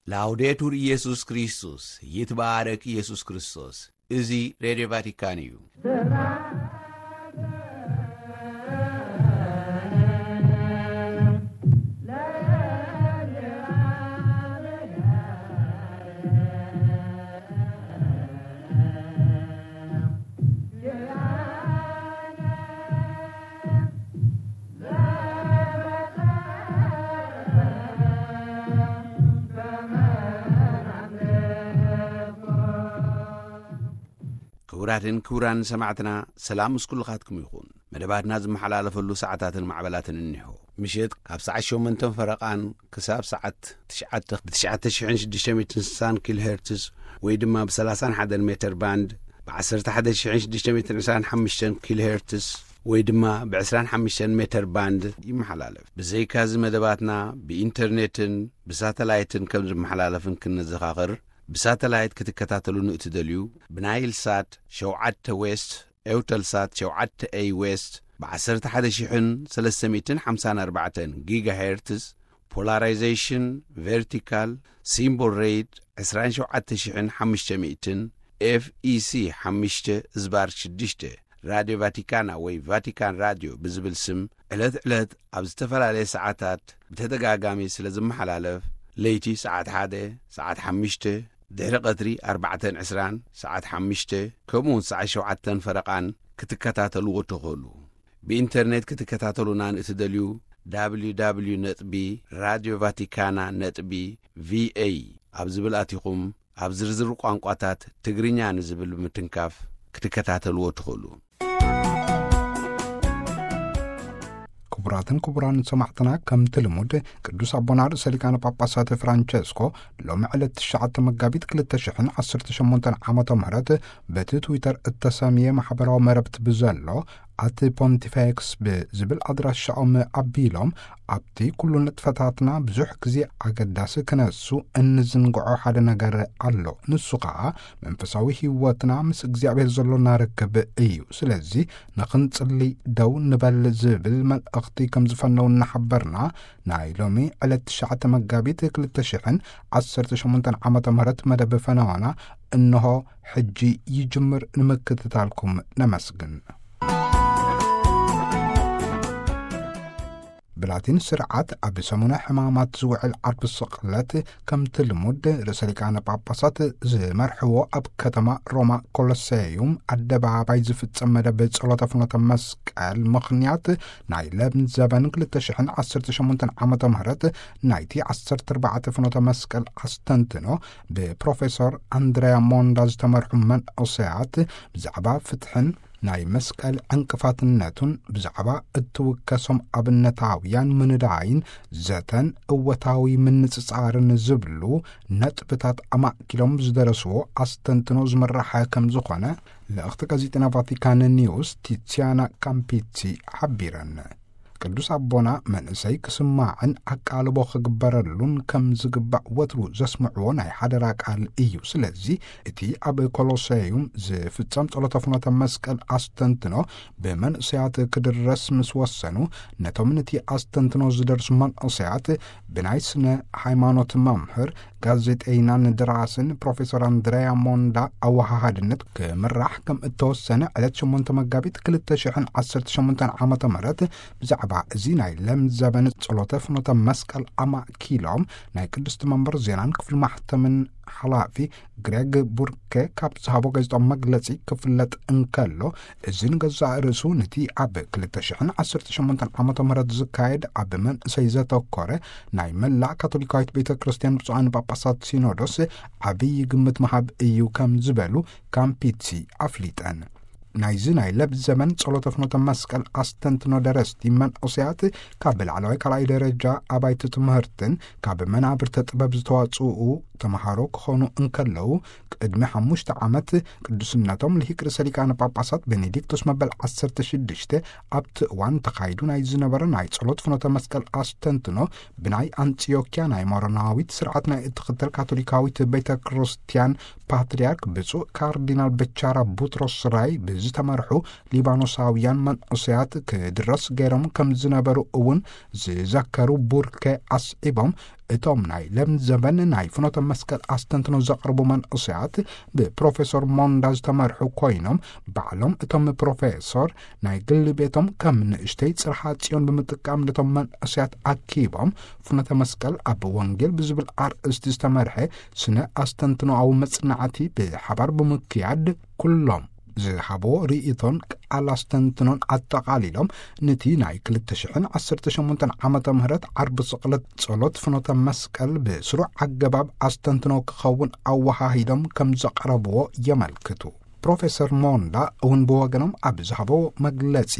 ላውዴቱር ኢየሱስ ክርስቶስ፣ ይትባረክ ኢየሱስ ክርስቶስ። እዚ ሬድዮ ቫቲካን እዩ። ክቡራትን ክቡራን ሰማዕትና፣ ሰላም ምስ ኩልኻትኩም ይኹን። መደባትና ዝመሓላለፈሉ ሰዓታትን ማዕበላትን እኒሆ። ምሸት ካብ ሰዓት ሸሞንተን ፈረቓን ክሳብ ሰዓት ትሽዓተ ብ ትሽዓተ ሽሕን ሽዱሽተ ሚእትን ስሳን ኪሎ ሄርትዝ ወይ ድማ ብ ሰላሳን ሓደን ሜተር ባንድ፣ ብ ዓሰርተ ሓደ ሽሕን ሽዱሽተ ሚእትን ዕስራን ሓሙሽተን ኪሎ ሄርትዝ ወይ ድማ ብ ዕስራን ሓሙሽተን ሜተር ባንድ ይመሓላለፍ። ብዘይካዚ መደባትና ብኢንተርኔትን ብሳተላይትን ከም ዝመሓላለፍን ክንዘኻኽር፣ ብሳተላይት ክትከታተሉን እትደልዩ፣ ብናይል ሳት ሸውዓተ ዌስት፣ ኤውተል ሳት ሸውዓተ ኤይ ዌስት፣ ብ ዓሰርተ ሓደ ሽሕን ሰለስተ ሚእትን ሓምሳን ኣርባዕተን ጊጋ ሄርትዝ፣ ፖላራይዜሽን ቨርቲካል፣ ሲምቦል ሬት ዕስራን ሸውዓተ ሽሕን ሓሙሽተ ሚእትን፣ ኤፍ ኢ ሲ ሓሙሽተ ዝባር ሽዱሽተ፣ ራድዮ ቫቲካና ወይ ቫቲካን ራድዮ ብዝብል ስም ዕለት ዕለት ኣብ ዝተፈላለየ ሰዓታት ብተደጋጋሚ ስለ ዝመሓላለፍ፣ ለይቲ ሰዓት ሓደ፣ ሰዓት ሓሙሽተ፣ ድሕሪ ቀትሪ ኣርባዕተን ዕስራን፣ ሰዓት ሓሙሽተ፣ ከምኡውን ሰዓት ሸውዓተን ፈረቓን ክትከታተልዎ ትኽእሉ። ብኢንተርኔት ክትከታተሉና ንእትደልዩ፣ ደብሊው ደብሊው ደብሊው ነጥቢ ራድዮ ቫቲካና ነጥቢ ቪ ኤ ኣብ ዝብል ኣቲኹም፣ ኣብ ዝርዝር ቋንቋታት ትግርኛ ንዝብል ብምትንካፍ ክትከታተልዎ ትኽእሉ። ክቡራትን ክቡራን ሰማዕትና፣ ከምቲ ልሙድ ቅዱስ ኣቦና ርእሰ ሊቃነ ጳጳሳት ፍራንቸስኮ ሎሚ ዕለት ትሽዓተ መጋቢት ክልተ ሽሕን ዓሰርተ ሸሞንተን ዓመተ ምህረት በቲ ትዊተር እተሰምየ ማሕበራዊ መረብቲ ብዘሎ ኣት ፖንቲፌክስ ብዝብል ኣድራሻኦም ኣቢሎም፣ ኣብቲ ኩሉ ንጥፈታትና ብዙሕ ግዜ ኣገዳሲ ክነሱ እንዝንግዖ ሓደ ነገር ኣሎ። ንሱ ኸኣ መንፈሳዊ ህይወትና ምስ እግዚኣብሔር ዘሎና ርክብ እዩ። ስለዚ ንኽንጽሊ ደው ንበል ዝብል መልእኽቲ ከም ዝፈነው እናሓበርና፣ ናይ ሎሚ ዕለት ትሽዓተ መጋቢት ክልተ ሽሕን ዓሰርተ ሸሞንተን ዓመተ ምህረት መደብ ፈነዋና እንሆ ሕጂ ይጅምር። ንምክትታልኩም ነመስግን። ብላቲን ስርዓት ኣብ ሰሙነ ሕማማት ዝውዕል ዓርቢ ስቕለት፣ ከምቲ ልሙድ ርእሰ ሊቃነ ጳጳሳት ዝመርሕዎ ኣብ ከተማ ሮማ ኮሎሴዩም ኣደባባይ ዝፍጸም መደብ ጸሎተ ፍኖተ መስቀል ምኽንያት፣ ናይ ለም ዘበን ክልተ ሽሕን ዓሰርተ ሸሞንተን ዓመተ ምህረት ናይቲ ዓሰርተ ኣርባዕተ ፍኖተ መስቀል ኣስተንትኖ ብፕሮፌሶር ኣንድሪያ ሞንዳ ዝተመርሑ መንእሰያት ብዛዕባ ፍትሕን ናይ መስቀል ዕንቅፋትነቱን ብዛዕባ እትውከሶም ኣብነታውያን ምንዳይን ዘተን እወታዊ ምንጽጻርን ዝብሉ ነጥብታት ኣማእኪሎም ዝደረስዎ ኣስተንትኖ ዝምራሕ ከም ዝኾነ ልእኽቲ ጋዜጠና ቫቲካን ኒውስ ቲሲያና ካምፒቲ ሓቢረን። ቅዱስ ኣቦና መንእሰይ ክስማዕን ኣቃልቦ ክግበረሉን ከም ዝግባእ ወትሩ ዘስምዕዎ ናይ ሓደራ ቃል እዩ። ስለዚ እቲ ኣብ ኮሎሴዩም ዝፍጸም ጸሎተ ፍኖተ መስቀል ኣስተንትኖ ብመንእሰያት ክድረስ ምስ ወሰኑ፣ ነቶም ነቲ ኣስተንትኖ ዝደርሱ መንእሰያት ብናይ ስነ ሃይማኖት መምህር፣ ጋዜጠይናን ደራስን ፕሮፌሰር ኣንድሪያ ሞንዳ ኣወሃሃድነት ክምራሕ ከም እተወሰነ ዕለት ሸሞንተ መጋቢት ክልተ ሽሕን ዓሰርተ ሸሞንተን ዓመተ ምህረት ብዛዕባ እዚ ናይ ለም ዘበን ጸሎተ ፍኖተ መስቀል ኣማእኪሎም ናይ ቅድስቲ መንበር ዜናን ክፍሊ ማሕተምን ሓላፊ ግሬግ ቡርኬ ካብ ዝሃቦ ጋዜጣዊ መግለጺ ክፍለጥ እንከሎ፣ እዚ ንገዛእ ርእሱ ነቲ ኣብ ክልተ ሽሕን ዓሰርተ ሸሞንተን ዓመተ ምህረት ዝካየድ ኣብ መንእሰይ ዘተኮረ ናይ መላእ ካቶሊካዊት ቤተ ክርስቲያን ብፁዓን ጳጳሳት ሲኖዶስ ዓብዪ ግምት ምሃብ እዩ ከም ዝበሉ ካምፒትሲ ኣፍሊጠን። ናይዚ ናይ ለብ ዘመን ጸሎተ ፍኖተ መስቀል ኣስተንትኖ ደረስቲ መንእሰያት ካብ ላዕለዋይ ካልኣይ ደረጃ ኣባይቲ ትምህርትን ካብ መናብርተ ጥበብ ዝተዋጽኡ ተምሃሮ ክኾኑ እንከለዉ፣ ቅድሚ ሓሙሽተ ዓመት ቅዱስነቶም ልሂቅ ርእሰ ሊቃነ ጳጳሳት ቤኔዲክቶስ መበል ዓሰርተ ሽዱሽተ ኣብቲ እዋን ተኻይዱ ናይ ዝነበረ ናይ ጸሎት ፍኖተ መስቀል ኣስተንትኖ ብናይ ኣንጽዮክያ ናይ ሞሮናዊት ስርዓት ናይ እትኽተል ካቶሊካዊት ቤተ ክርስቲያን ፓትርያርክ ብፁዕ ካርዲናል በቻራ ቡትሮስ ራይ ብዝተመርሑ ሊባኖሳውያን መንእሰያት ክድረስ ገይሮም ከም ዝነበሩ እውን ዝዘከሩ ቡርከ ኣስዒቦም፣ እቶም ናይ ለምዘበን ናይ ፍኖተ መስቀል ኣስተንትኖ ዘቕርቡ መንእሰያት ብፕሮፌሰር ሞንዳ ዝተመርሑ ኮይኖም፣ ባዕሎም እቶም ፕሮፌሰር ናይ ግሊ ቤቶም ከም ንእሽተይ ጽርሓ ጽዮን ብምጥቃም ነቶም መንእሰያት ኣኪቦም፣ ፍኖተ መስቀል ኣብ ወንጌል ብዝብል ኣርእስቲ ዝተመርሐ ስነ ኣስተንትኖኣዊ መጽናዕቲ ብሓባር ብምክያድ፣ ኩሎም ዝሃቦ ርእይቶን ቃል ኣስተንትኖን ኣጠቓሊሎም፣ ነቲ ናይ ክልተ ሽሕን ዓሰርተ ሸሞንተን ዓመተ ምህረት ዓርቢ ስቕለት ጸሎት ፍኖተ መስቀል ብስሩዕ ኣገባብ ኣስተንትኖ ክኸውን ኣወሃሂዶም ከም ዘቕረብዎ የመልክቱ። ፕሮፌሰር ሞንዳ እውን ብወገኖም ኣብ ዝሃቦ መግለጺ፣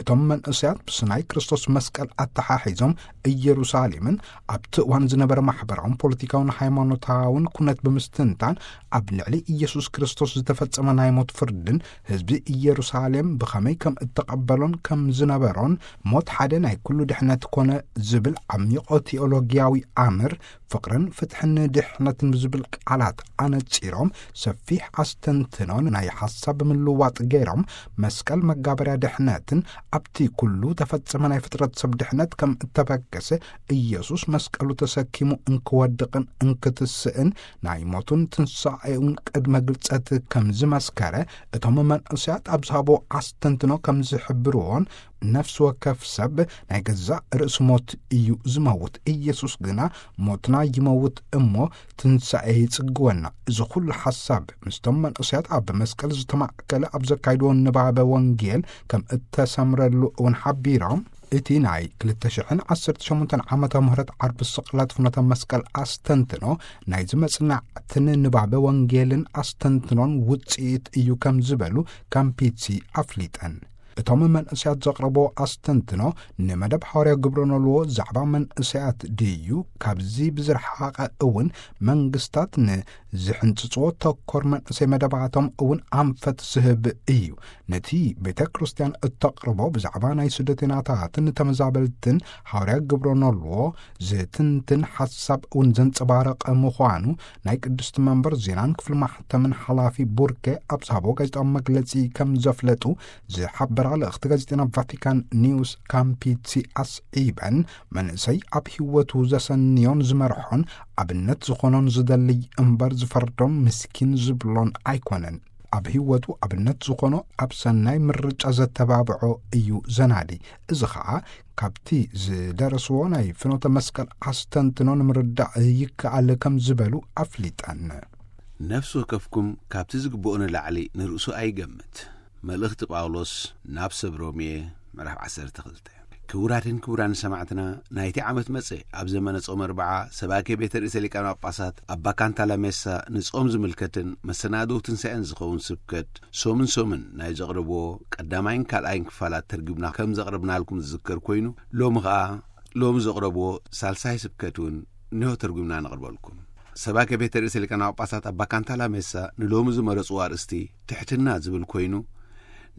እቶም መንእሰያት ምስ ናይ ክርስቶስ መስቀል ኣተሓሒዞም ኢየሩሳሌምን ኣብቲ እዋን ዝነበረ ማሕበራውን ፖለቲካውን ሃይማኖታውን ኩነት ብምስትንታን፣ ኣብ ልዕሊ ኢየሱስ ክርስቶስ ዝተፈጸመ ናይ ሞት ፍርድን ህዝቢ ኢየሩሳሌም ብኸመይ ከም እተቐበሎን ከም ዝነበሮን፣ ሞት ሓደ ናይ ኩሉ ድሕነት ኮነ ዝብል ዓሚቖ ቴኦሎጊያዊ ኣምር፣ ፍቕርን ፍትሕን ድሕነትን ብዝብል ቃላት ኣነጺሮም፣ ሰፊሕ ኣስተንትኖን ናይ ሓሳብ ምልዋጥ ገይሮም፣ መስቀል መጋበርያ ድሕነትን ኣብቲ ኩሉ ተፈጸመ ናይ ፍጥረት ሰብ ድሕነት ከም እተበገሰ፣ ኢየሱስ መስቀሉ ተሰኪሙ እንክወድቕን እንክትስእን፣ ናይ ሞቱን ትንሳኤውን ቅድመ ግልጸት ከም ዝመስከረ፣ እቶም መንእሰያት ኣብ ዝሃቦ ኣስተንትኖ ከም ዝሕብርዎን፣ ነፍሲ ወከፍ ሰብ ናይ ገዛእ ርእሱ ሞት እዩ ዝመውት። ኢየሱስ ግና ሞትና ይመውት እሞ ትንሳኤ ይጽግወና። እዚ ኩሉ ሓሳብ ምስቶም መንእሰያት ኣብ መስቀል ዝተማእከለ ኣብ ዘካይድዎ ንባበ ወንጌል ከም እተሰምረሉ እውን ሓቢሮም፣ እቲ ናይ ክልተ ሽሕን ዓሰርተ ሸሞንተን ዓመተ ምህረት ዓርቢ ስቕለት ፍኖተ መስቀል ኣስተንትኖ ናይዚ መጽናዕትን ንባበ ወንጌልን ኣስተንትኖን ውጽኢት እዩ ከም ዝበሉ ካምፒትሲ ኣፍሊጠን። እቶም መንእሰያት ዘቕረቦ ኣስተንትኖ ንመደብ ሓዋርያ ግብረ ኖልዎ ዛዕባ መንእሰያት ድዩ ካብዚ ብዝረሓቐ እውን መንግስታት ንዝሕንጽጽዎ ተኮር መንእሰይ መደባቶም እውን ኣንፈት ዝህብ እዩ። ነቲ ቤተ ክርስቲያን እተቕርቦ ብዛዕባ ናይ ስደተናታትን ተመዛበልትን ሓዋርያ ግብረ ኖልዎ ዝትንትን ሓሳብ እውን ዘንጸባረቐ ምዃኑ ናይ ቅድስቲ መንበር ዜናን ክፍሊ ማሕተምን ሓላፊ ቡርኬ ኣብ ዝሃቦ ጋዜጣዊ መግለጺ ከም ዘፍለጡ ዝሓበራ ልእኽቲ ጋዜጠና ቫቲካን ኒውስ ካምፒትሲ ኣስዒበን፣ መንእሰይ ኣብ ህይወቱ ዘሰንዮን ዝመርሖን ኣብነት ዝኾኖን ዝደልይ እምበር ዝፈርዶን ምስኪን ዝብሎን ኣይኮነን። ኣብ ህይወቱ ኣብነት ዝኾኖ ኣብ ሰናይ ምርጫ ዘተባብዖ እዩ ዘናዲ። እዚ ኸኣ ካብቲ ዝደረስዎ ናይ ፍኖተ መስቀል ኣስተንትኖ ንምርዳእ ይከኣል ከም ዝበሉ ኣፍሊጠን። ነፍሲ ወከፍኩም ካብቲ ዝግብኦ ንላዕሊ ንርእሱ ኣይገምት። መልእኽቲ ጳውሎስ ናብ ሰብ ሮሜ ምዕራፍ ዓሰርተ ክልተ። ክቡራትን ክቡራን ሰማዕትና፣ ናይቲ ዓመት መጸ ኣብ ዘመነ ጾም ኣርብዓ ሰባኬ ቤተ ርእሰ ሊቃነ ጳጳሳት ኣባ ካንታላሜሳ ንጾም ዝምልከትን መሰናድው ትንሳኤን ዝኸውን ስብከት ሶምን ሶምን ናይ ዘቕረብዎ ቀዳማይን ካልኣይን ክፋላት ተርጉምና ከም ዘቕረብናልኩም ዝዝከር ኮይኑ፣ ሎሚ ኸኣ ሎሚ ዘቕረብዎ ሳልሳይ ስብከት እውን እንሆ ተርጉምና ነቕርበልኩም። ሰባኬ ቤተ ርእሰ ሊቃነ ጳጳሳት ኣባ ካንታላሜሳ ንሎሚ ዝመረጽዎ ኣርእስቲ ትሕትና ዝብል ኮይኑ፣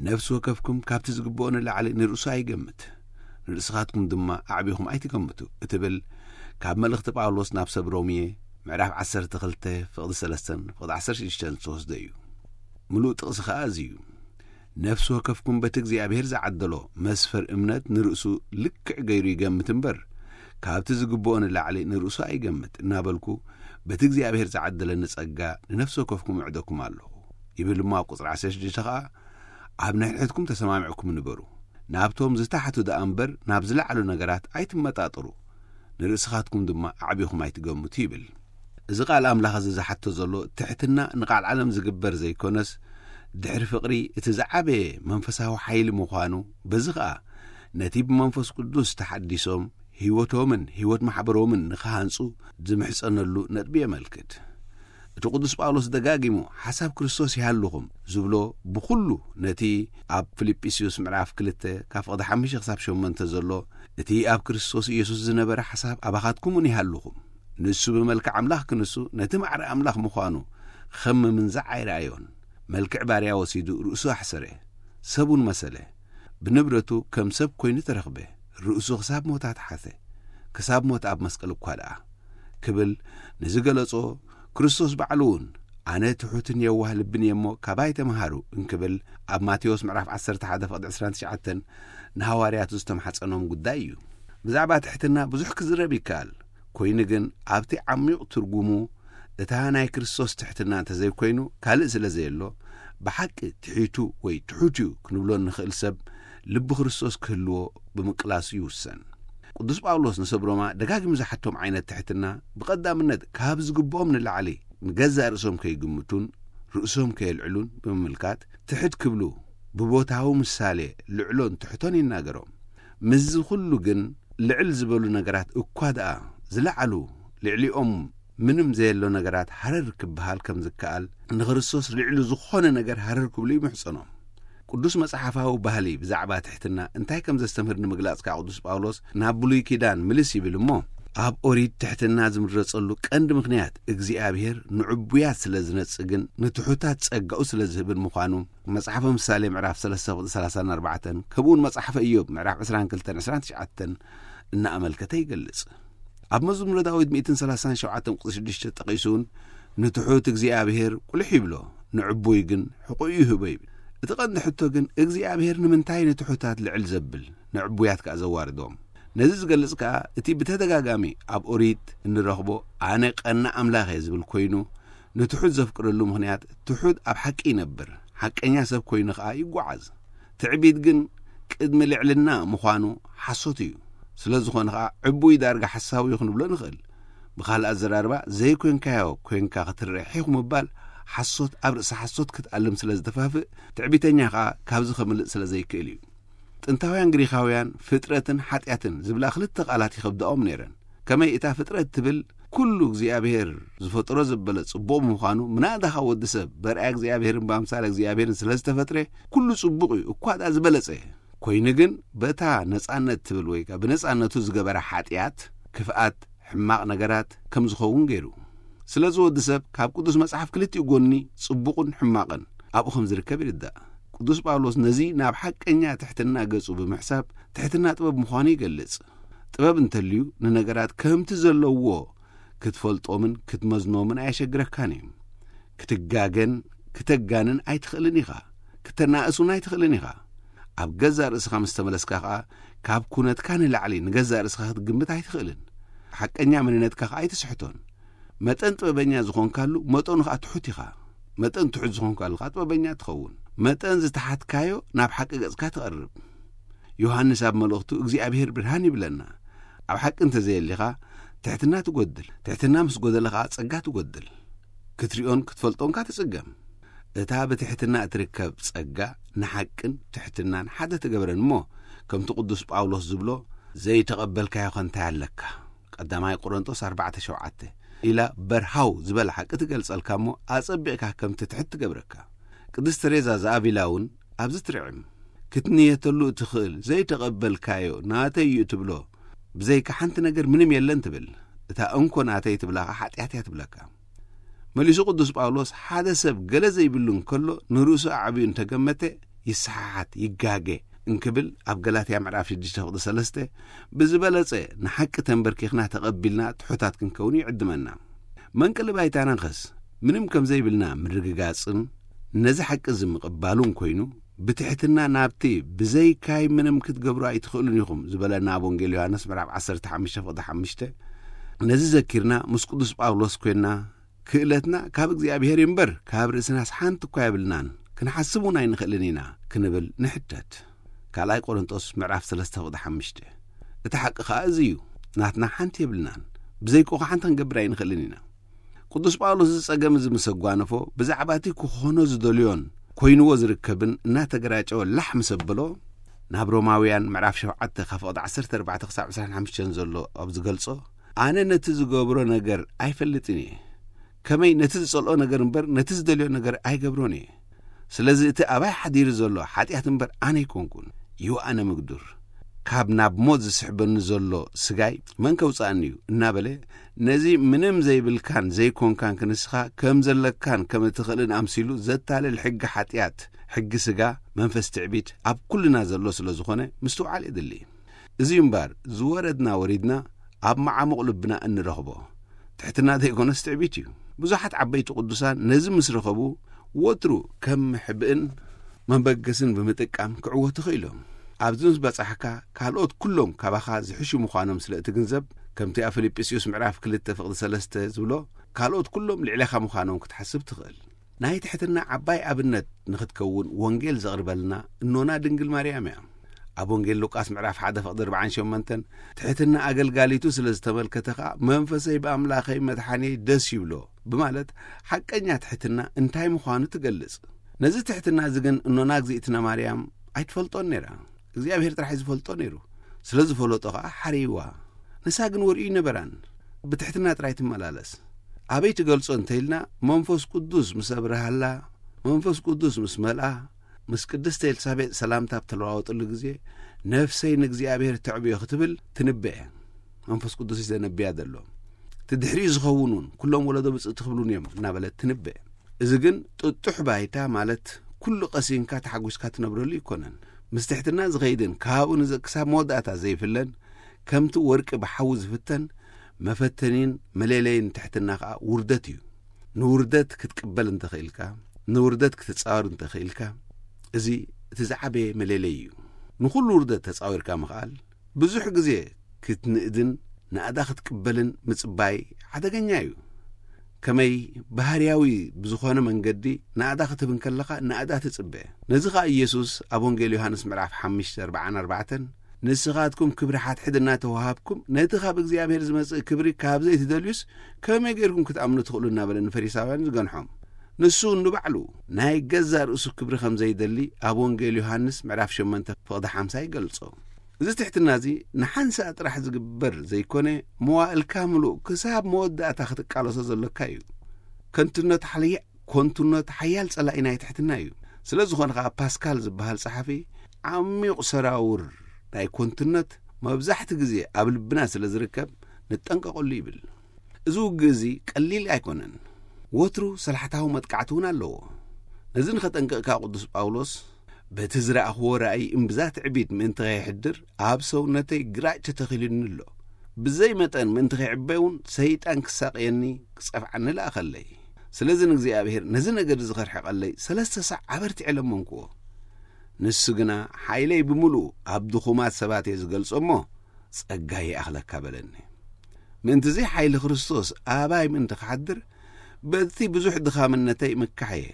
ነፍሲ ወከፍኩም ካብቲ ዝግብኦ ንላዕሊ ንርእሱ ኣይገምት፣ ንርእስኻትኩም ድማ ኣዕቢኹም ኣይትገምቱ እትብል ካብ መልእኽቲ ጳውሎስ ናብ ሰብ ሮሜ ምዕራፍ ዓሰርተ ክልተ ፍቕዲ ሰለስተን ፍቕዲ ዓሰርተ ሽዱሽተን ዝተወስደ እዩ። ምሉእ ጥቕሲ ኸኣ እዚ እዩ። ነፍሲ ወከፍኩም በቲ እግዚኣብሔር ዝዓደሎ መስፈር እምነት ንርእሱ ልክዕ ገይሩ ይገምት እምበር፣ ካብቲ ዝግብኦ ንላዕሊ ንርእሱ ኣይገምት እናበልኩ፣ በቲ እግዚኣብሔር ዝዓደለኒ ጸጋ ንነፍሲ ወከፍኩም እዕደኩም ኣለኹ። ይብል እሞ ኣብ ቁጽሪ ዓሰርተ ሽዱሽተ ኸኣ፣ ኣብ ንሕድሕድኩም ተሰማሚዕኩም ንበሩ። ናብቶም ዝተሓቱ ደኣ እምበር ናብ ዝለዓሉ ነገራት ኣይትመጣጠሩ። ንርእስኻትኩም ድማ ኣዕቢኹም ኣይትገምቱ ይብል። እዚ ቃል ኣምላኽ እዚ ዝሓቶ ዘሎ ትሕትና ንቃል ዓለም ዝግበር ዘይኮነስ፣ ድሕሪ ፍቕሪ እቲ ዝዓበየ መንፈሳዊ ሓይሊ ምዃኑ፣ በዚ ኸኣ ነቲ ብመንፈስ ቅዱስ ተሓዲሶም ህይወቶምን ህይወት ማሕበሮምን ንኽሃንጹ ዝምሕጸነሉ ነጥቢ የመልክት። እቲ ቅዱስ ጳውሎስ ደጋጊሙ ሓሳብ ክርስቶስ ይሃልኹም ዝብሎ ብኹሉ ነቲ ኣብ ፊልጵስዩስ ምዕራፍ ክልተ ካብ ፍቕዲ ሓሙሽተ ክሳብ ሸሞንተ ዘሎ እቲ ኣብ ክርስቶስ ኢየሱስ ዝነበረ ሓሳብ ኣባኻትኩም እውን ይሃልኹም። ንሱ ብመልክዕ ኣምላኽ ክንሱ ነቲ ማዕረ ኣምላኽ ምዃኑ ከም ምምንዛዕ ኣይረኣዮን። መልክዕ ባርያ ወሲዱ ርእሱ ኣሕሰረ፣ ሰብ እውን መሰለ። ብንብረቱ ከም ሰብ ኮይኑ ተረኽበ። ርእሱ ክሳብ ሞት ኣትሓተ፣ ክሳብ ሞት ኣብ መስቀል እኳ ደኣ ክብል ንዝገለጾ፣ ክርስቶስ ባዕሉ እውን ኣነ ትሑትን የዋህ ልብን እየ እሞ ካባይ ተምሃሩ እንክብል ኣብ ማቴዎስ ምዕራፍ ዓሰርተ ሓደ ፍቕዲ ዕስራን ትሽዓተን ንሃዋርያቱ ዝተምሓጸኖም ጉዳይ እዩ። ብዛዕባ ትሕትና ብዙሕ ክዝረብ ይከኣል። ኮይኑ ግን ኣብቲ ዓሚቕ ትርጉሙ እታ ናይ ክርስቶስ ትሕትና እንተዘይኮይኑ ካልእ ስለ ዘየሎ፣ ብሓቂ ትሒቱ ወይ ትሑት እዩ ክንብሎ እንኽእል ሰብ ልቢ ክርስቶስ ክህልዎ ብምቅላሱ ይውሰን። ቅዱስ ጳውሎስ ንሰብ ሮማ ደጋጊሙ ዝሓቶም ዓይነት ትሕትና ብቐዳምነት ካብ ዝግብኦም ንላዕሊ ንገዛእ ርእሶም ከይግምቱን ርእሶም ከየልዕሉን ብምምልካት ትሕት ክብሉ ብቦታዊ ምሳሌ ልዕሎን ትሕቶን ይናገሮም። ምስዚ ኩሉ ግን ልዕል ዝበሉ ነገራት እኳ ደኣ ዝለዓሉ ልዕሊኦም ምንም ዘየሎ ነገራት ሃረር ክበሃል ከም ዝከኣል ንክርስቶስ ልዕሊ ዝኾነ ነገር ሃረር ክብሉ ይምሕጸኖም። ቅዱስ መጽሓፋዊ ባህሊ ብዛዕባ ትሕትና እንታይ ከም ዘስተምህር ንምግላጽ ከኣ ቅዱስ ጳውሎስ ናብ ብሉይ ኪዳን ምልስ ይብል እሞ፣ ኣብ ኦሪት ትሕትና ዝምረጸሉ ቀንዲ ምኽንያት እግዚኣብሔር ንዕቡያት ስለ ዝነጽግን ንትሑታት ጸጋኡ ስለ ዝህብን ምዃኑ መጽሓፈ ምሳሌ ምዕራፍ ሰለስተ ቁጽሪ ሰላሳን ኣርባዕተን ከምኡውን መጽሓፈ ኢዮብ ምዕራፍ ዕስራን ክልተን ዕስራን ትሽዓተን እናኣመልከተ ይገልጽ። ኣብ መዝሙረ ዳዊት ሚእትን ሰላሳን ሸውዓተን ቁጽሪ ሽዱሽተ ጠቒሱ እውን ንትሑት እግዚኣብሔር ቁልሕ ይብሎ፣ ንዕቡይ ግን ሕቑኡ ይህቦ ይብል። እቲ ቀንዲ ሕቶ ግን እግዚኣብሔር ንምንታይ ንትሑታት ልዕል ዘብል ንዕቡያት ከኣ ዘዋርዶም? ነዚ ዝገልጽ ከኣ እቲ ብተደጋጋሚ ኣብ ኦሪት እንረኽቦ ኣነ ቀና ኣምላኽ እየ ዝብል ኮይኑ ንትሑት ዘፍቅረሉ ምኽንያት ትሑት ኣብ ሓቂ ይነብር፣ ሓቀኛ ሰብ ኮይኑ ከኣ ይጓዓዝ። ትዕቢት ግን ቅድሚ ልዕልና ምዃኑ ሓሶት እዩ። ስለ ዝኾነ ኸኣ ዕቡይ ዳርጋ ሓሳዊ እዩ ክንብሎ ንኽእል። ብኻልእ ኣዘራርባ ዘይኮንካዮ ኮንካ ክትርአ ሒኹ ምባል ሓሶት ኣብ ርእሲ ሓሶት ክትኣልም ስለ ዝተፋፍእ ትዕቢተኛ ኸኣ ካብዚ ከምልጥ ስለ ዘይክእል እዩ። ጥንታውያን ግሪኻውያን ፍጥረትን ሓጢኣትን ዝብላ ክልተ ቃላት ይኸብድኦም ነይረን። ከመይ እታ ፍጥረት ትብል ኩሉ እግዚኣብሔር ዝፈጠሮ ዘበለ ጽቡቕ ብምዃኑ ምናዳኻ ወዲ ሰብ በርኣያ እግዚኣብሔርን ብኣምሳል እግዚኣብሔርን ስለ ዝተፈጥረ ኩሉ ጽቡቕ እዩ እኳ ደኣ ዝበለጸ ኮይኑ ግን በታ ነጻነት ትብል ወይ ከኣ ብነጻነቱ ዝገበረ ሓጢኣት ክፍኣት ሕማቕ ነገራት ከም ዝኸውን ገይሩ። ስለዚ ወዲ ሰብ ካብ ቅዱስ መጽሓፍ ክልቲኡ ጎኒ ጽቡቕን ሕማቕን ኣብኡ ከም ዝርከብ ይርዳእ። ቅዱስ ጳውሎስ ነዚ ናብ ሓቀኛ ትሕትና ገጹ ብምሕሳብ ትሕትና ጥበብ ምዃኑ ይገልጽ። ጥበብ እንተልዩ ንነገራት ከምቲ ዘለዎ ክትፈልጦምን ክትመዝኖምን ኣየሸግረካን እዩ። ክትጋገን ክተጋንን ኣይትኽእልን ኢኻ። ክተናእሱን ኣይትኽእልን ኢኻ። ኣብ ገዛእ ርእስኻ ምስ ተመለስካ ኸኣ ካብ ኩነትካ ንላዕሊ ንገዛእ ርእስኻ ክትግምት ኣይትኽእልን። ሓቀኛ መንነትካ ኸኣ ኣይትስሕቶን። መጠን ጥበበኛ ዝኾንካሉ መጠኑ ኸኣ ትሑት ኢኻ። መጠን ትሑት ዝኾንካሉ ኸኣ ጥበበኛ ትኸውን። መጠን ዝተሓትካዮ ናብ ሓቂ ገጽካ ትቐርብ። ዮሃንስ ኣብ መልእኽቱ እግዚኣብሔር ብርሃን ይብለና። ኣብ ሓቂ እንተዘየሊኻ ትሕትና ትጎድል። ትሕትና ምስ ጎደለ ኸኣ ጸጋ ትጎድል። ክትሪኦን ክትፈልጦን ከኣ ትጽገም። እታ ብትሕትና እትርከብ ጸጋ ንሓቅን ትሕትናን ሓደ ትገብረን እሞ ከምቲ ቅዱስ ጳውሎስ ዝብሎ ዘይተቐበልካዮ ከ እንታይ ኣለካ? ቀዳማይ ቆሮንጦስ ኣርባዕተ ሸውዓተ ኢላ በርሃው ዝበለ ሓቂ ትገልጸልካ እሞ ኣጸቢቕካ ከም ትትሕት ትገብረካ። ቅድስት ተሬዛ ዘኣቪላ እውን ኣብዚ ትርዕም። ክትንየተሉ እትኽእል ዘይተቐበልካዮ ናተይ እዩ እትብሎ ብዘይካ ሓንቲ ነገር ምንም የለን ትብል። እታ እንኮ ናተይ ትብላኻ ሓጢኣት እያ ትብለካ። መሊሱ ቅዱስ ጳውሎስ ሓደ ሰብ ገለ ዘይብሉ እንከሎ ንርእሱ ኣዕብዩ እንተገመተ ይሰሓሓት ይጋገ እንክብል ኣብ ገላትያ ምዕራፍ ሽዱሽተ ፍቕዲ ሰለስተ ብዝበለጸ ንሓቂ ተንበርኪኽና ተቐቢልና ትሑታት ክንከውን ይዕድመና። መንቀሊ ባይታናኸስ ምንም ከም ዘይብልና ምርግጋጽን ነዚ ሓቂ እዚ ምቕባሉን ኮይኑ ብትሕትና ናብቲ ብዘይካይ ምንም ክትገብሩ ኣይትኽእሉን ኢኹም ዝበለና ኣብ ወንጌል ዮሃንስ ምዕራፍ ዓሰርተ ሓሙሽተ ፍቕዲ ሓሙሽተ ነዚ ዘኪርና ምስ ቅዱስ ጳውሎስ ኮይንና ክእለትና ካብ እግዚኣብሔር እምበር ካብ ርእስናስ ሓንቲ እኳ የብልናን፣ ክንሓስብ እውን ኣይንኽእልን ኢና ክንብል ንሕተት። ካልኣይ ቆሮንጦስ ምዕራፍ ሰለስተ ፍቕዲ ሓሙሽተ። እቲ ሓቂ ኸኣ እዚ እዩ፣ ናትና ሓንቲ የብልናን፣ ብዘይኮ ሓንቲ ክንገብር ኣይንኽእልን ኢና። ቅዱስ ጳውሎስ እዚ ጸገም እዚ ምስ ኣጓነፎ ብዛዕባ እቲ ክኾኖ ዝደልዮን ኮይንዎ ዝርከብን እናተገራጨወ ላሕ ምስ ኣበሎ ናብ ሮማውያን ምዕራፍ ሸውዓተ ካብ ፍቕዲ ዓሰርተ ኣርባዕተ ክሳብ ዕስራን ሓሙሽተን ዘሎ ኣብ ዝገልጾ ኣነ ነቲ ዝገብሮ ነገር ኣይፈልጥን እየ። ከመይ ነቲ ዝጸልኦ ነገር እምበር ነቲ ዝደልዮ ነገር ኣይገብሮን እየ። ስለዚ እቲ ኣባይ ሓዲሩ ዘሎ ሓጢኣት እምበር ኣነ ኣይኮንኩን። ይዋኣነ ምግዱር። ካብ ናብ ሞት ዝስሕበኒ ዘሎ ስጋይ መን ከውጽኣኒ እዩ እናበለ ነዚ ምንም ዘይብልካን ዘይኮንካን ክንስኻ ከም ዘለካን ከም እትኽእልን ኣምሲሉ ዘታልል ሕጊ ሓጢኣት ሕጊ ስጋ መንፈስ ትዕቢት ኣብ ኩልና ዘሎ ስለ ዝኾነ ምስትውዓል የድሊ። እዚ እምባር ዝወረድና ወሪድና ኣብ መዓሙቕ ልብና እንረኽቦ ትሕትና ዘይኮነስ ትዕቢት እዩ። ብዙሓት ዓበይቲ ቅዱሳን ነዚ ምስ ረኸቡ ወትሩ ከም መሕብእን መበገስን ብምጥቃም ክዕወቱ ኽኢሎም። ኣብዚ ምስ በጻሕካ ካልኦት ኩሎም ካባኻ ዝሕሹ ምዃኖም ስለ እትግንዘብ ከምቲ ኣብ ፊልጵስዩስ ምዕራፍ ክልተ ፍቕዲ ሰለስተ ዝብሎ፣ ካልኦት ኩሎም ልዕሌኻ ምዃኖም ክትሓስብ ትኽእል። ናይ ትሕትና ዓባይ ኣብነት ንኽትከውን ወንጌል ዘቕርበልና እኖና ድንግል ማርያም እያ። ኣብ ወንጌል ሉቃስ ምዕራፍ ሓደ ፍቕዲ ኣርባዓን ሸሞንተን፣ ትሕትና ኣገልጋሊቱ ስለ ዝተመልከተ ኸኣ፣ "መንፈሰይ ብኣምላኸይ መድሓንየይ ደስ ይብሎ" ብማለት ሓቀኛ ትሕትና እንታይ ምዃኑ ትገልጽ። ነዚ ትሕትና እዚ ግን እኖና እግዚኣብትና ማርያም ኣይትፈልጦን ነይራ። እግዚኣብሔር ጥራሕ እዩ ዝፈልጦ ነይሩ። ስለ ዝፈለጦ ኸኣ ሓርይዋ። ንሳ ግን ወርእዩ ኣይነበራን። ብትሕትና ጥራይ ትመላለስ። ኣበይ ትገልጾ እንተ ኢልና፣ መንፈስ ቅዱስ ምስ ኣብርሃላ፣ መንፈስ ቅዱስ ምስ መልኣ፣ ምስ ቅድስቲ ኤልሳቤጥ ሰላምታ ኣብ ተለዋወጥሉ ግዜ፣ "ነፍሰይ ንእግዚኣብሔር ተዕብዮ" ክትብል ትንበ። መንፈስ ቅዱስ እዩ ዘነብያ ዘሎ። እቲ ድሕሪኡ ዝኸውን እውን፣ "ኩሎም ወለዶ ብፅእ ትኽብሉን እዮም" እናበለት ትንበ። እዚ ግን ጥጡሕ ባይታ፣ ማለት ኩሉ ቀሲንካ ተሓጒስካ ትነብረሉ ኣይኮነን። ምስ ትሕትና ዝኸይድን ካብኡ ንዘ-፣ ክሳብ መወዳእታ ዘይፍለን፣ ከምቲ ወርቂ ብሓዊ ዝፍተን፣ መፈተኒን መለለይን ትሕትና ኸኣ ውርደት እዩ። ንውርደት ክትቅበል እንተኽኢልካ፣ ንውርደት ክትጻወር እንተኽኢልካ፣ እዚ እቲ ዝዓበየ መለለይ እዩ። ንኹሉ ውርደት ተጻዊርካ ምኽኣል፣ ብዙሕ ግዜ ክትንእድን ናእዳ ክትቅበልን ምጽባይ ሓደገኛ እዩ። ከመይ ባህርያዊ ብዝኾነ መንገዲ ናእዳ ክትህብ እንከለኻ፣ ናእዳ ትጽበ። ነዚ ኸኣ ኢየሱስ ኣብ ወንጌል ዮሃንስ ምዕራፍ ሓሙሽተ ኣርባዓን ኣርባዕተን፣ "ንስኻትኩም ክብሪ ሓድሕድ እናተዋሃብኩም፣ ነቲ ካብ እግዚኣብሔር ዝመጽእ ክብሪ ካብ ዘይትደልዩስ፣ ከመይ ጌርኩም ክትኣምኑ ትኽእሉ?" እናበለ ንፈሪሳውያን ዝገንሖም። ንሱ ንባዕሉ ናይ ገዛእ ርእሱ ክብሪ ከም ዘይደሊ ኣብ ወንጌል ዮሃንስ ምዕራፍ ሸሞንተ ፍቕዲ ሓምሳ ይገልጾ። እዚ ትሕትና እዚ ንሓንሳእ ጥራሕ ዝግበር ዘይኮነ፣ መዋእልካ ምሉእ ክሳብ መወዳእታ ክትቃለሶ ዘሎካ እዩ። ከንቱነት ሓለየ-፣ ኮንቱነት ሓያል ጸላኢ ናይ ትሕትና እዩ። ስለ ዝኾነ ኸኣ ፓስካል ዝበሃል ጸሓፊ፣ "ዓሚቕ ሰራውር ናይ ኮንቱነት መብዛሕቲ ግዜ ኣብ ልብና ስለ ዝርከብ፣ ንጠንቀቐሉ" ይብል። እዚ ውግእ እዚ ቀሊል ኣይኮነን። ወትሩ ሰላሕታዊ መጥቃዕቲ እውን ኣለዎ። ነዚ ንኸጠንቅቕ ከኣ ቅዱስ ጳውሎስ፣ "በቲ ዝረኣኽዎ ራእይ እምብዛ ትዕቢት ምእንቲ ኸይሕድር ኣብ ሰውነተይ ግራጭ ተተኺሉኒ ኣሎ። ብዘይ መጠን ምእንቲ ኸይዕበ እውን ሰይጣን ክሳቕየኒ ክጸፍዓኒ ለኣኸለይ። ስለዚ ንእግዚኣብሔር ነዚ ነገር እዚ ኸርሕቐለይ ሰለስተ ሳዕ ኣበርቲዐ ለመንክዎ። ንሱ ግና ሓይለይ ብምሉኡ ኣብ ድኹማት ሰባት እየ ዝገልጾ እሞ ጸጋይ ይኣኽለካ" በለኒ። ምእንትዚ ሓይሊ ክርስቶስ ኣባይ ምእንቲ ክሓድር፣ በቲ ብዙሕ ድኻምነተይ ምካሕ እየ።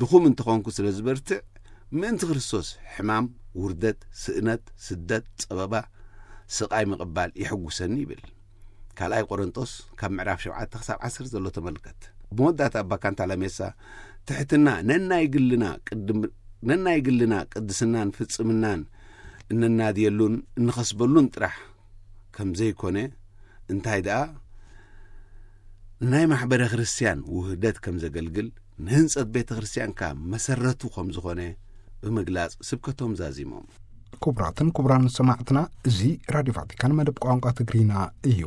ድኹም እንተኾንኩ ስለ ዝበርትዕ፣ ምእንቲ ክርስቶስ ሕማም፣ ውርደት፣ ስእነት፣ ስደት፣ ጸበባ፣ ስቓይ ምቕባል የሐጉሰኒ ይብል። ካልኣይ ቆሮንጦስ ካብ ምዕራፍ ሸውዓተ ክሳብ ዓሰርተ ዘሎ ተመልከት። ብመወዳእታ ኣባ ካንታላሜሳ፣ ትሕትና ነናይ ግልና ቅድም-፣ ነናይ ግልና ቅድስናን ፍጽምናን እነናድየሉን እንኸስበሉን ጥራሕ ከም ዘይኮነ፣ እንታይ ደኣ፣ ንናይ ማሕበረ ክርስቲያን ውህደት ከም ዘገልግል፣ ንህንጸት ቤተ ክርስቲያን ከኣ መሰረቱ ከም ዝኾነ ብምግላጽ ስብከቶም ዛዚሞም። ክቡራትን ክቡራን ሰማዕትና፣ እዚ ራድዮ ቫቲካን መደብ ቋንቋ ትግርኛ እዩ።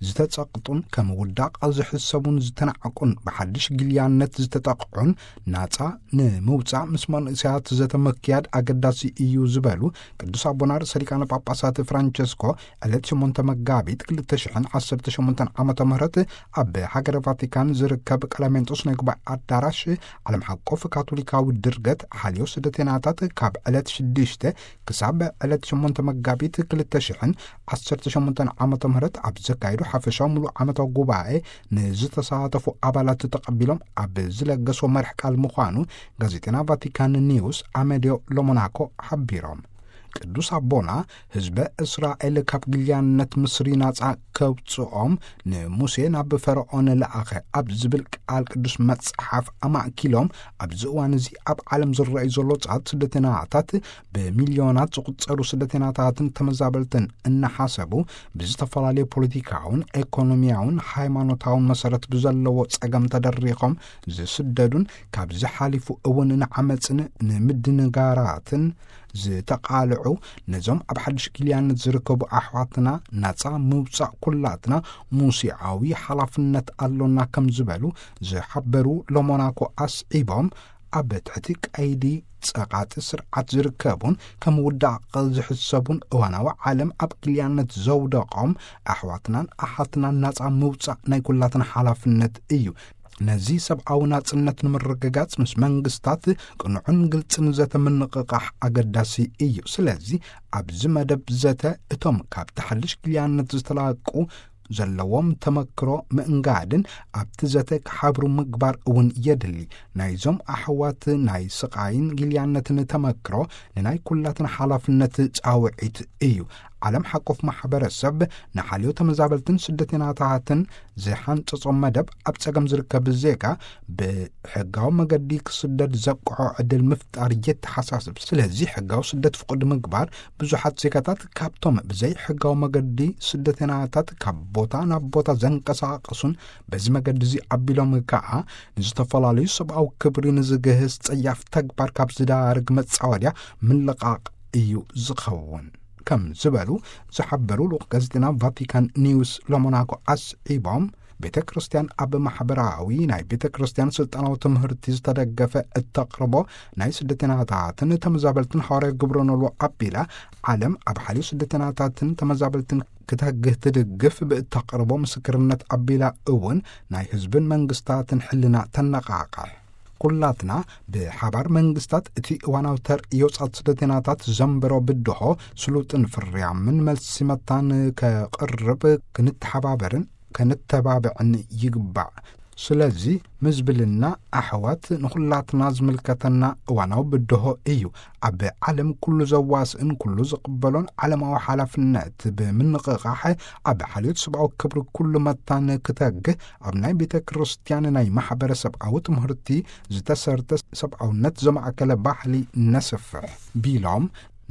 ዝተጸቕጡን ከም ውዳቕ ዝሕሰቡን ዝተናዕቁን ብሓድሽ ግልያነት ዝተጠቕዑን ናጻ ንምውጻእ ምስ መንእሰያት ዘተ ምክያድ ኣገዳሲ እዩ ዝበሉ ቅዱስ ኣቦና ርእሰ ሊቃነ ጳጳሳት ፍራንቸስኮ ዕለት ሸሞንተ መጋቢት ክልተ ሽሕን ዓሰርተ ሸሞንተን ዓመተ ምህረት ኣብ ሃገረ ቫቲካን ዝርከብ ቀለሜንጦስ ናይ ጉባኤ ኣዳራሽ ዓለም ሓቆፍ ካቶሊካዊ ድርገት ሓልዮ ስደተናታት ካብ ዕለት ሽዱሽተ ክሳብ ዕለት ሸሞንተ መጋቢት ክልተ ሽሕን ዓሰርተ ሸሞንተን ዓመተ ምህረት ኣብ ዘካየዱ ሓፈሻዊ ሙሉእ ዓመታዊ ጉባኤ ንዝተሳተፉ ኣባላት ተቐቢሎም ኣብ ዝለገሶ መርሕ ቃል ምዃኑ ጋዜጠና ቫቲካን ኒውስ ኣመዲዮ ሎሞናኮ ሓቢሮም። ቅዱስ ኣቦና ህዝበ እስራኤል ካብ ግልያነት ምስሪ ናጻ ከውጽኦም ንሙሴ ናብ ፈርዖን ለኣኸ ኣብ ዝብል ቃል ቅዱስ መጽሓፍ ኣማእኪሎም፣ ኣብዚ እዋን እዚ ኣብ ዓለም ዝረኣዩ ዘሎ ጻት ስደተናታት ብሚልዮናት ዝቑጸሩ ስደተናታትን ተመዛበልትን እናሓሰቡ ብዝተፈላለዩ ፖለቲካውን ኤኮኖሚያውን ሃይማኖታውን መሰረት ብዘለዎ ጸገም ተደሪኾም ዝስደዱን ካብዚ ሓሊፉ እውን ንዓመጽን ንምድንጋራትን ዝተቓልዑ ነዞም ኣብ ሓድሽ ግልያነት ዝርከቡ ኣሕዋትና ናጻ ምውጻእ ኩላትና ሙሴዓዊ ሓላፍነት ኣሎና ከም ዝበሉ ዝሓበሩ ሎሞናኮ ኣስዒቦም፣ ኣብ ትሕቲ ቀይዲ ጸቓጢ ስርዓት ዝርከቡን ከም ውዳቕ ዝሕሰቡን እዋናዊ ዓለም ኣብ ግልያነት ዘውደቖም ኣሕዋትናን ኣሓትናን ናጻ ምውጻእ ናይ ኩላትና ሓላፍነት እዩ። ነዚ ሰብኣዊ ናጽነት ንምርግጋጽ ምስ መንግስታት ቅኑዕን ግልጽን ዘተ ምንቕቓሕ ኣገዳሲ እዩ። ስለዚ ኣብዚ መደብ ዘተ እቶም ካብ ተሓድሽ ግልያነት ዝተላቁ ዘለዎም ተመክሮ ምእንጋድን ኣብቲ ዘተ ክሓብሩ ምግባር እውን የድሊ። ናይዞም ኣሕዋት ናይ ስቓይን ግልያነትን ተመክሮ ንናይ ኩላትና ሓላፍነት ጻውዒት እዩ። ዓለም ሓቆፍ ማሕበረሰብ ንሓልዮ ተመዛበልትን ስደተኛታትን ዝሓንጸጾ መደብ ኣብ ጸገም ዝርከብ ዜጋ ብሕጋዊ መገዲ ክስደድ ዘብቅዖ ዕድል ምፍጣር የተሓሳስብ። ስለዚ ሕጋዊ ስደት ፍቁድ ምግባር ብዙሓት ዜጋታት ካብቶም ብዘይ ሕጋዊ መገዲ ስደተኛታት ካብ ቦታ ናብ ቦታ ዘንቀሳቐሱን በዚ መገዲ እዚ ኣቢሎም ከኣ ንዝተፈላለዩ ሰብኣዊ ክብሪ ንዝግህስ ጸያፍ ተግባር ካብ ዝዳርግ መጻወድያ ምልቓቕ እዩ ዝኸውን ከም ዝበሉ ዝሓበሩ ልኡኽ ጋዜጠና ቫቲካን ኒውስ ሎሞናኮ ኣስዒቦም፣ ቤተ ክርስቲያን ኣብ ማሕበራዊ ናይ ቤተ ክርስቲያን ስልጣናዊ ትምህርቲ ዝተደገፈ እተቕርቦ ናይ ስደተኛታትን ተመዛበልትን ሃዋርያ ግብረ ኖልዎ ኣቢላ ዓለም ኣብ ሓልዮ ስደተኛታትን ተመዛበልትን ክትህግህ ትድግፍ ብእተቕርቦ ምስክርነት ኣቢላ እውን ናይ ህዝብን መንግስታትን ሕልና ተነቓቕሕ። ኩላትና ብሓባር መንግስታት እቲ እዋናዊ ተርእዮ ጻት ስደተኛታት ዘንበሮ ብድሆ ስሉጥን ፍርያምን መልሲ መታን ከቕርብ ክንተሓባበርን ከንተባብዕን ይግባእ። ስለዚ ምዝብልና ኣሕዋት ንኹላትና ዝምልከተና እዋናዊ ብድሆ እዩ። ኣብ ዓለም ኩሉ ዘዋስእን ኩሉ ዝቕበሎን ዓለማዊ ሓላፍነት ብምንቕቓሕ ኣብ ሓልዮት ሰብኣዊ ክብሪ ኩሉ መታን ክተግህ ኣብ ናይ ቤተ ክርስቲያን ናይ ማሕበረሰብኣዊ ትምህርቲ ዝተሰርተ ሰብኣውነት ዘማእከለ ባህሊ ነስፍሕ ቢሎም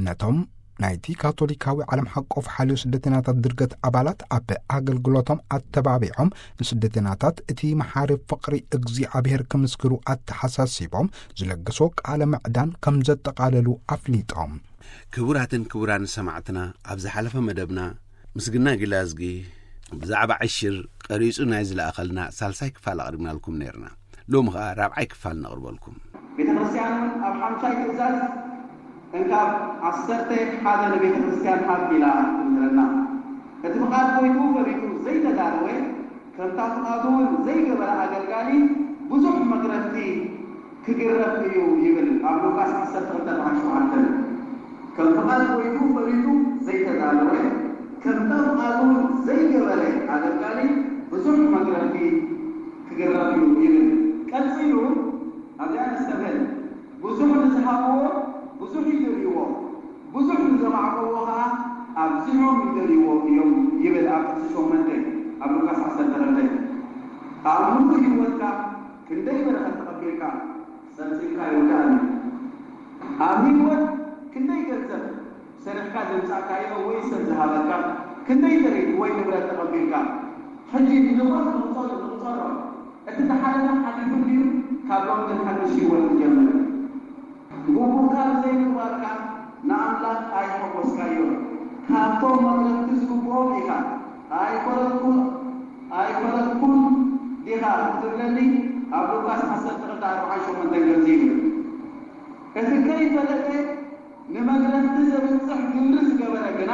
ነቶም ናይቲ ካቶሊካዊ ዓለም ሓቆፍ ሓልዮ ስደተኛታት ድርገት ኣባላት ኣብ ኣገልግሎቶም ኣተባቢዖም ንስደተኛታት እቲ መሓሪ ፍቕሪ እግዚኣብሔር ክምስክሩ ኣተሓሳሲቦም ዝለገሶ ቃለ ምዕዳን ከም ዘጠቓለሉ ኣፍሊጦም። ክቡራትን ክቡራን ሰማዕትና፣ ኣብ ዝሓለፈ መደብና ምስግና ጊላዝጊ ብዛዕባ ዕሽር ቀሪጹ ናይ ዝለኣኸልና ሳልሳይ ክፋል ኣቕሪብናልኩም ነይርና። ሎሚ ኸኣ ራብዓይ ክፋል ነቕርበልኩም። ቤተ ክርስቲያን እውን ኣብ ሓምሻይ ትእዛዝ እንካብ ዓሰርተ ሓደ ንቤተ ክርስቲያን ሃብ ኢላ ትምህረና። እቲ ፍቓድ ጎይቱ ፈሪዱ ዘይተዳለወ፣ ከምታ ፍቓዱ እውን ዘይገበረ ኣገልጋሊ ብዙሕ መግረፍቲ ክግረፍ እዩ ይብል ኣብ ሉቃስ ዓሰርተ ክልተ ኣርባዕተ ሸውዓተ። ከም ፍቓድ ጎይቱ ፈሪዱ ዘይተዳለወ፣ ከምታ ፍቓዱ ዘይገበረ ኣገልጋሊ ብዙሕ መግረፍቲ ክግረፍ እዩ ይብል። ቀጺሉ ኣብዚኣ ነስተብህል። ብዙሕ ንዝሃብዎ ብዙሕ ይደልይዎ፣ ብዙሕ ንዘማዕቆዎ ኸዓ ኣብዚሖም ይደልይዎ እዮም ይብል ኣብ ጥቕሲ ሸሞንተ ኣብ ሉቃስ ዓሰርተ ክልተ። ኣብ ምሉእ ህይወትካ ክንደይ በረኸት ተቐቢልካ? ጸብጺብካ ይውዳእን እዩ። ኣብ ህይወት ክንደይ ገንዘብ ሰሪሕካ ዘምጻእካዮ ወይ ሰብ ዝሃበካ? ክንደይ ጥሪት ወይ ንብረት ተቐቢልካ? ሕጂ ንንብረት ንቑጸሮ፣ ንቑጸሮ። እቲ ዝሓለፈ ሓሊፉ እንድዩ፣ ካብ ሎሚ ግን ሓድሽ ህይወት ንጀምር። ግቡእካ ብዘይምግባርካ ንኣምላኽ ኣይሓጎስካዮን። ካብቶም መቕረብቲ ዝግብኦም ኢኻ። ኣይፈረድኩን፣ ኣይፈረድኩን ዲኻ ክትብለኒ ኣብ ሉቃስ ዓሰርተ ክልተ ኣርባዓን ሸሞንተን ከምዚ ይብል። እቲ ከይፈለጠ ንመግረፍቲ ዘብጽሕ ግብሪ ዝገበረ ግና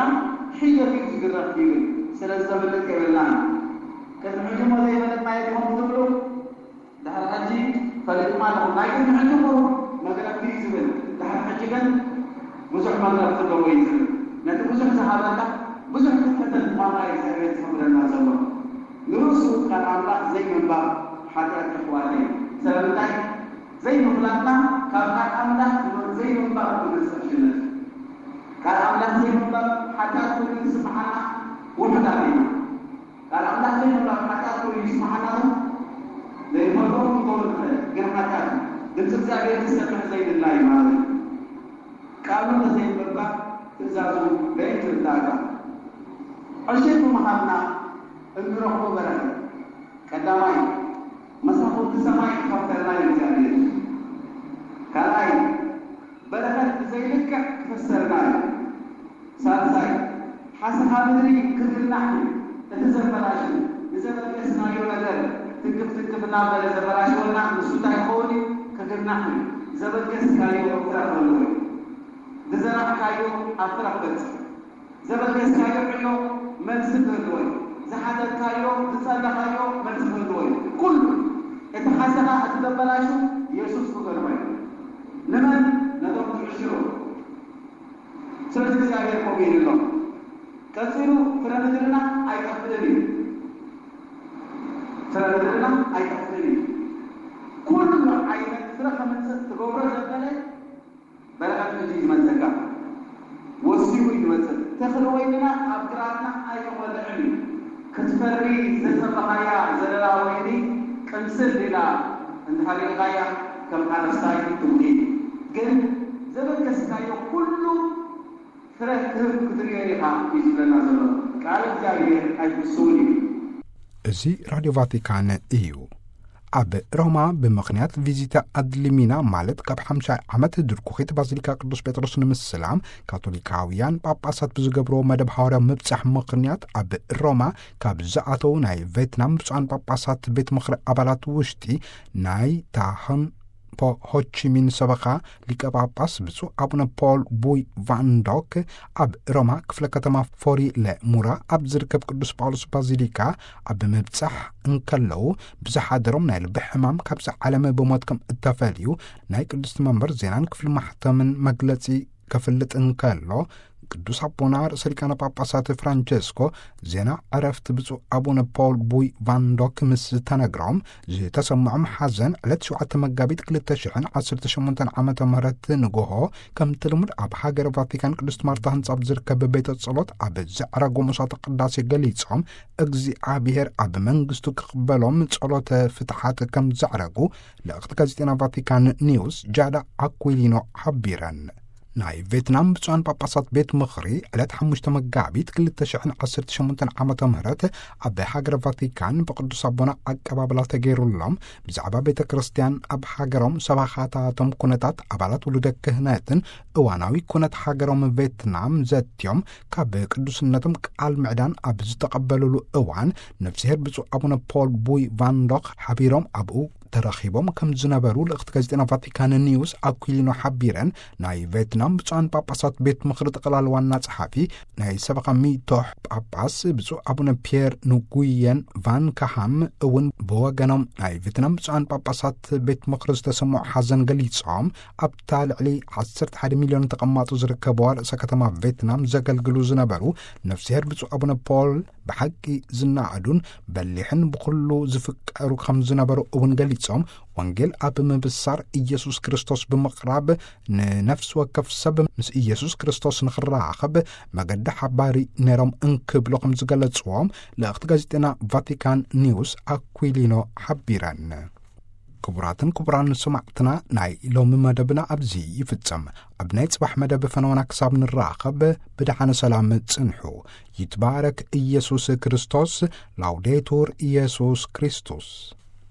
ሒደት እዩ ዝግረፍ ይብል። ስለዚ ዘምልጥ የብልናን። ቅድሚ ሕጂ እሞ ዘይፈለጥናዮ ዲኹም ክትብሉ፣ ድሕሪ ሕጂ ፈሊጥና ኣለኹም። ናይ ቅድሚ ሕጂ እኮ መግረፍቲ እዩ ዝብል፣ ድሕሪ ሕጂ ግን ብዙሕ መግረፍቲ ኣለዎ እዩ ዝብል። ነቲ ብዙሕ ዝሃበካ ብዙሕ ክትሕተት ምዃንካ እዩ እግዚኣብሔር ዝሕብረና ዘሎ። ንርእሱ ቃል ኣምላኽ ዘይምንባብ ሓጢኣት የሕዋተይ። ስለምንታይ? ዘይምፍላጥና ካብ ቃል ኣምላኽ ዘይምንባብ ዝመጽእ ሽነት። ቃል ኣምላኽ ዘይምንባብ ሓጢኣት ኮይኑ ዝስምዓና ውሑዳት ኢና። ቃል ኣምላኽ ዘይምንባብ ሓጢኣት ኮይኑ ይስምዓና ዶ? ዘይንፈልጦ ክንገብሮ ንኽእል፣ ግን ሓጢኣት እዩ። ድምፂ እግዚኣብሔር ክሰምዕ ዘይድላይ ማለት እዩ። ቃሉ እንተዘይምንባብ ትእዛዙ በየን ትርዳእካ? ዕሽር ብምሃብና እንረኽቦ በረኸት። ቀዳማይ፣ መሳኹቲ ሰማይ ክኸፍተልና እዩ እግዚኣብሔር። ካልኣይ፣ በረኸት ብዘይልክዕ ክፍሰልና እዩ። ሳልሳይ፣ ሓሰኻ ምድሪ ክግናሕ እዩ። እቲ ዘበላሹ፣ ንዘበገስናዮ ነገር ትንክፍ ትንክፍ እናበለ ዘበላሽወና ንሱ እንታይ ክኸውን እዩ? ግርናዕ እዩ። ዘበገስካዮ ክረኽበሉ እዩ። ዝዘራእካዮ ኣብ ፍረ ክበጽሕ። ዘበገስካዮ ዕዮ መልሲ ክህልዎ እዩ። ዝሓተትካዮ፣ ዝጸለኻዮ መልሲ ክህልዎ እዩ። ኩሉ እቲ ሓሰኻ፣ እቲ ዘበላሹ የሱስ ክገርሞ እዩ። ንመን? ነቶም ዝዕሽሩ። ስለዚ እግዚኣብሔር ከምኡ ኢሉ ኣሎ። ቀጺሉ ፍረ ምድርና ኣይጠፍእን እዩ። ፍረ ምድርና ኣይጠፍእን እዩ። ኩሉ ዓይነት ፍረ ከምጽእ ትገብሮ ዘበለ በረኸት ምድሪ እዩ ዝመጸካ። ወሲኹ እዩ ዝመጽእ። ተኽሊ ወይንና ኣብ ግራትና ኣይተቖልዕን እዩ። ክትፈሪ ዝተጸበኻያ ዘለላ ወይኒ ቅምስል ኢላ እንተሃሪርካያ ከም ሓረስታይ ትጉሂ። ግን ዘበገስካዮ ኩሉ ፍረ ክህብ ክትርእዮ ኢኻ እዩ ዝብለና ዘሎ። ቃል እግዚኣብሔር ኣይትስውን እዩ። እዚ ራድዮ ቫቲካን እዩ። ኣብ ሮማ ብምኽንያት ቪዚታ ኣድሊሚና፣ ማለት ካብ ሓምሻይ ዓመት ድርኩኺት ባዚሊካ ቅዱስ ጴጥሮስ ንምስላም ካቶሊካውያን ጳጳሳት ብዝገብርዎ መደብ ሃዋርያዊ ምብጻሕ ምኽንያት፣ ኣብ ሮማ ካብ ዝኣተዉ ናይ ቬትናም ብፁዓን ጳጳሳት ቤት ምኽሪ ኣባላት ውሽጢ ናይ ታህን ፖ ሆቺሚን ሰበኻ ሊቀ ጳጳስ ብፁዕ ኣቡነ ፖል ቡይ ቫን ዶክ ኣብ ሮማ ክፍለ ከተማ ፎሪ ለሙራ ኣብ ዝርከብ ቅዱስ ጳውሎስ ባዚሊካ ኣብ ምብጻሕ እንከለዉ፣ ብዝሓደሮም ናይ ልቢ ሕማም ካብዚ ዓለም ብሞት ከም እተፈልዩ ናይ ቅድስቲ መንበር ዜናን ክፍሊ ማሕተምን መግለጺ ከፍልጥ እንከሎ፣ ቅዱስ ኣቦና ርእሰ ሊቃነ ጳጳሳት ፍራንቸስኮ ዜና ዕረፍቲ ብፁዕ ኣቡነ ፖል ቡይ ቫን ዶክ ምስ ተነግሮም፣ ዝተሰምዖም ሓዘን ዕለት ሸውዓተ መጋቢት ክልተ ሽሕን ዓሰርተ ሸሞንተን ዓመተ ምህረት ንግሆ፣ ከምቲ ልሙድ ኣብ ሃገረ ቫቲካን ቅድስት ማርታ ህንጻ ኣብ ዝርከብ ቤተ ጸሎት ኣብ ዘዕረጉ መስዋዕተ ቅዳሴ ገሊጾም፣ እግዚኣብሔር ኣብ መንግስቱ ክቕበሎም ጸሎተ ፍትሓት ከም ዘዕረጉ ልእኽቲ ጋዜጠና ቫቲካን ኒውስ ጃዳ ኣኩሊኖ ሓቢረን። ናይ ቬትናም ብፁዓን ጳጳሳት ቤት ምኽሪ ዕለት ሓሙሽተ መጋቢት ክልተ ሽሕን ዓሰርተ ሸሞንተን ዓመተ ምህረት ኣብ ሃገረ ቫቲካን ብቅዱስ ኣቦና ኣቀባብላ ተገይሩሎም፣ ብዛዕባ ቤተ ክርስቲያን ኣብ ሃገሮም፣ ሰባኻታቶም፣ ኩነታት ኣባላት ውሉደ ክህነትን እዋናዊ ኩነት ሃገሮም ቬትናም ዘትዮም፣ ካብ ቅዱስነቶም ቃል ምዕዳን ኣብ ዝተቐበሉሉ እዋን፣ ነፍስሄር ብፁዕ ኣቡነ ፖል ቡይ ቫንዶክ ሓቢሮም ኣብኡ ተረኺቦም ከም ዝነበሩ ልእኽቲ ጋዜጠና ቫቲካን ኒውስ ኣኩሊኖ ሓቢረን። ናይ ቬትናም ብፁዓን ጳጳሳት ቤት ምኽሪ ጠቕላል ዋና ጸሓፊ ናይ ሰበኻ ሚቶሕ ጳጳስ ብፁዕ ኣቡነ ፒየር ንጉየን ቫን ካሃም እውን ብወገኖም፣ ናይ ቬትናም ብፁዓን ጳጳሳት ቤት ምኽሪ ዝተሰምዖ ሓዘን ገሊጾም፣ ኣብታ ልዕሊ ዓሰርተ ሓደ ሚልዮን ተቐማጦ ዝርከብዋ ርእሰ ከተማ ቬትናም ዘገልግሉ ዝነበሩ ነፍስሄር ብፁዕ ኣቡነ ፖል ብሓቂ ዝነኣዱን በሊሕን ብኹሉ ዝፍቀሩ ከም ዝነበሩ እውን ገሊጾም፣ ወንጌል ኣብ ምብሳር፣ ኢየሱስ ክርስቶስ ብምቕራብ፣ ንነፍሲ ወከፍ ሰብ ምስ ኢየሱስ ክርስቶስ ንኽራኸብ መገዲ ሓባሪ ነይሮም እንክብሉ ከም ዝገለጽዎም ልእኽቲ ጋዜጠና ቫቲካን ኒውስ ኣኩሊኖ ሓቢረን። ክቡራትን ክቡራን ሰማዕትና፣ ናይ ሎሚ መደብና ኣብዚ ይፍጸም። ኣብ ናይ ጽባሕ መደብ ፈነወና ክሳብ ንራኸብ ብደሓነ ሰላም ጽንሑ። ይትባረክ ኢየሱስ ክርስቶስ። ላውዴቱር ኢየሱስ ክርስቶስ።